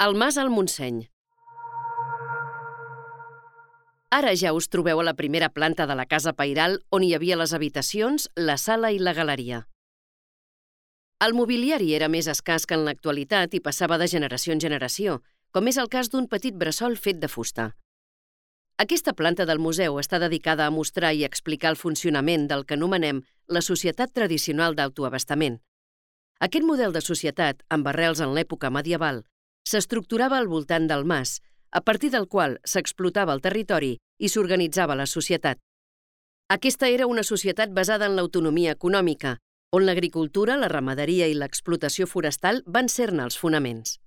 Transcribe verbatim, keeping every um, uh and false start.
El Mas al Montseny. Ara ja us trobeu a la primera planta de la casa pairal on hi havia les habitacions, la sala i la galeria. El mobiliari era més escàs que en l'actualitat i passava de generació en generació, com és el cas d'un petit bressol fet de fusta. Aquesta planta del museu està dedicada a mostrar i explicar el funcionament del que anomenem la societat tradicional d'autoabastament. Aquest model de societat, amb arrels en l'època medieval, s'estructurava al voltant del mas, a partir del qual s'explotava el territori i s'organitzava la societat. Aquesta era una societat basada en l'autonomia econòmica, on l'agricultura, la ramaderia i l'explotació forestal van ser-ne els fonaments.